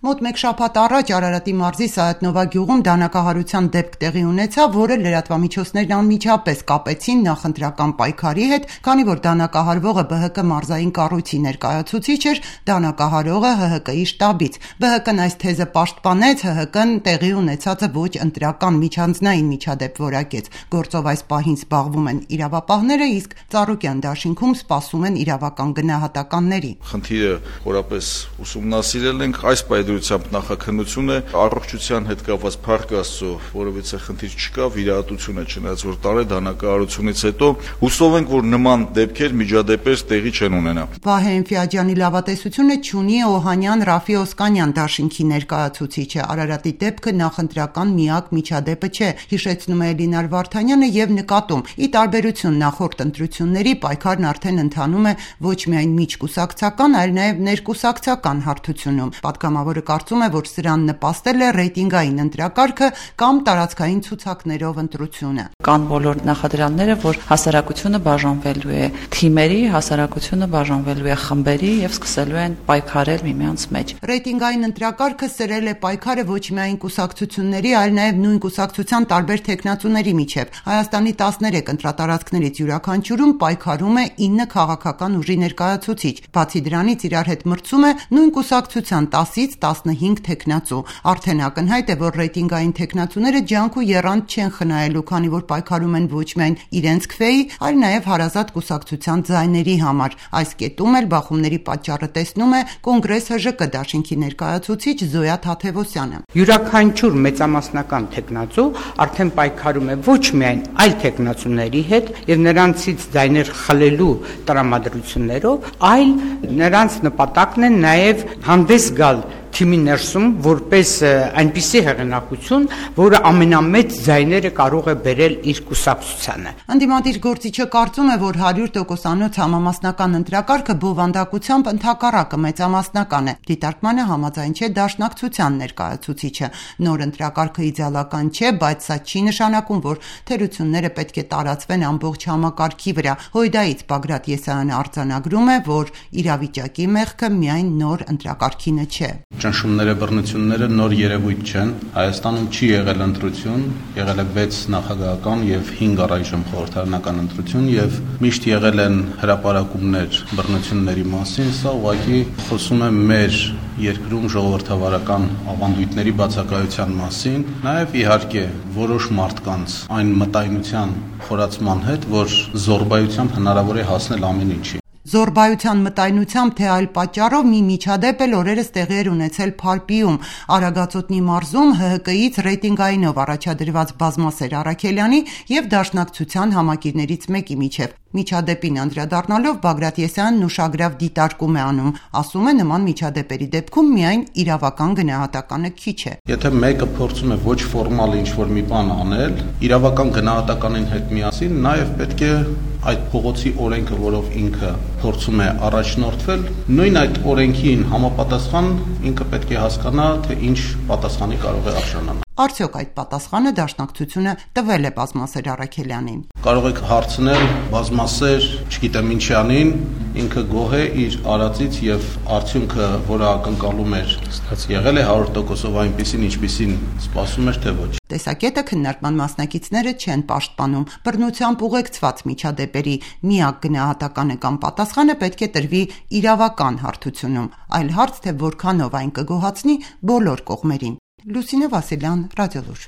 Մոտ մեկ շաբաթ առաջ Արարատի մարզի Սայաթնովա գյուղում դանակահարության դեպք տեղի ունեցավ, որը լրատվամիջոցներն անմիջապես կապեցին նախընտրական պայքարի հետ, քանի որ դանակահարվողը ԲՀԿ մարզային կառույցի ներկայացուցիչ էր, դանակահարողը ՀՀԿ-ի շտաբից։ ԲՀԿ-ն այս թեզը պաշտպանեց, ՀՀԿ-ն տեղի ունեցածը ոչ ընտրական միջանձնային միջադեպ որակեց։ Գործով այս պահին զբաղվում են իրավապահները, իսկ Ծառուկյան դաշինքում սպասում են իրավական գնահատականների։ Խնդիրը խորապես ուսումնասիրել ենք, այս պայմանությամբ նախաքննություն է, առողջության հետ կապված փառք Աստծո, որովհետեւ խնդիր չկա, վիրահատություն է, չնայած որ տարե դանակահարությունից հետո հուսով ենք, որ նման դեպքեր, միջադեպեր տեղի չեն ունենա։ Վահե Էնֆիաջյանի լավատեսությունը չունի Օհանյան Ռաֆի Օսկանյան դաշինքի ներկայացուցիչը։ Արարատի դեպքը նախընտրական միակ միջադեպը չէ, հիշեցնում է Էլինար Վարդանյանը եւ նկատում՝ ի տարբերություն նախորդ ընտրությունների, պայքարն արդեն ընթանում է ոչ միայն միջկուսակցական, այլ նաեւ ներկուսակցական հարթությունում։ Պատգամավորը կարծում է, որ սրան նպաստել է ռեյտինգային ընտրակարգը կամ տարածքային ցուցակներով ընտրությունը։ Կան բոլոր նախադրյալները, որ հասարակությունը բաժանվելու է թիմերի, հասարակությունը բաժանվելու է խմբերի եւ սկսելու են պայքարել միմյանց մեջ։ Ռեյտինգային ընտրակարգը սրել է պայքարը ոչ միայն կուսակցությունների, այլ նաեւ նույն կուսակցության տարբեր թեկնածուների միջև։ Հայաստանի 13 ընտրատարածքներից յուրաքանչյուրում պայքարում է 9 քաղաքական ուժի ներկայացուցիչ։ Բացի դրանից իրար հետ մրցում է նույն կուսակցության 10-ից 15 թեկնածու։ Արդեն ակնհայտ է, որ ռեյտինգային թեկնածուները ջանք ու եռանդ չեն խնայելու, քանի որ պայքարում են ոչ միայն իրենց քվեի, այլ նաև հարազատ կուսակցության ձայների համար։ Այս կետում էլ բախումների պատճառը տեսնում է Կոնգրես ՀԺԿ դաշինքի ներկայացուցիչ Զոյա Թաթևոսյանը։ Յուրաքանչյուր մեծամասնական թեկնածու արդեն պայքարում է ոչ միայն այլ թեկնածուների հետ եւ նրանցից ձայներ խլելու տրամադրություններով, այլ նրանց նպատակն է նաև հանդես գալ թիմի ներսում որպես այնպիսի հեղինակություն, որը ամենամեծ ձայները կարող է բերել իր կուսակցությանը։ Ընդդիմադիր գործիչը կարծում է, որ 100%-անոց համամասնական ընտրակարգը բովանդակությամբ ընդհակառակը մեծամասնական է։ Դիտարկմանը համաձայն չէ Դաշնակցության ներկայացուցիչը։ Նոր ընտրակարգը իդեալական չէ, բայց սա չի նշանակում, որ թերությունները պետք է տարածվեն ամբողջ համակարգի վրա։ Հույդայից Բագրատ Եսայանը արձանագրում է, որ իրավիճակի մեղքը միայն նոր ընտրակարգինը չէ։ Ճնշումները, բռնությունները նոր երևույթ չեն։ Հայաստանում չի եղել ընտրություն, եղել է 6 նախագահական եւ 5 առայժմ խորհրդարանական ընտրություն եւ միշտ եղել են հրապարակումներ բռնությունների մասին, սա ուղղակի խոսում է մեր երկրում ժողովրդավարական ավանդույթների բացակայության մասին, նաեւ իհարկե որոշ մարդկանց այն մտայնության խորացման հետ, որ զոռբայությամբ հնարավոր է հասնել ամեն ինչի։ Զոռբայության մտայնությամբ թե այլ պատճառով մի միջադեպ էլ օրերս տեղի էր ունեցել Փարպիում։ Արագածոտնի մարզում ՀՀԿ-ից ռեյտինգայինով առաջադրված Բազմասեր Առաքելյանի եւ Դաշնակցության համակիրներից մեկի միջև։ Միջադեպին անդրադառնալով Բագրատ Եսյանն ուշագրավ դիտարկում է անում, ասում է նման միջադեպերի դեպքում միայն իրավական գնահատականը քիչ է։ Եթե մեկը փորձում է ոչ ֆորմալ ինչ-որ մի բան անել, իրավական գնահատականին հետ միասին նաև պետք է այդ փողոցի օրենքը, որով ինքը փորձում է առաջնորդվել, նույն այդ օրենքին համապատասխան ինքը պետք է հասկանա, թե ինչ պատասխանի կարող է արժանանալ։ Արդյոք այդ պատասխանը Դաշնակցությունը տվել է Բազմասեր Առաքելյանին։ Կարող եք հարցնել Բազմասեր, չգիտեմ ինչի անին, ինքը գոհ է իր արածից եւ արդյունքը, որը ակնկալում էր, եղել է 100%-ով այնպեսին, ինչպեսին սպասում էր, թե ոչ։ Տեսակետը քննարկման մասնակիցները չեն պաշտպանում։ Բռնությամբ ուղեկցված միջադեպերի միակ գնահատականը կամ պատասխանը պետք է տրվի իրավական հարթությունում։ Այլ հարց թե որքանով այն կգոհացնի բոլոր կողմերին։ Լուսինե Վասիլյան, Ռադիոլուր։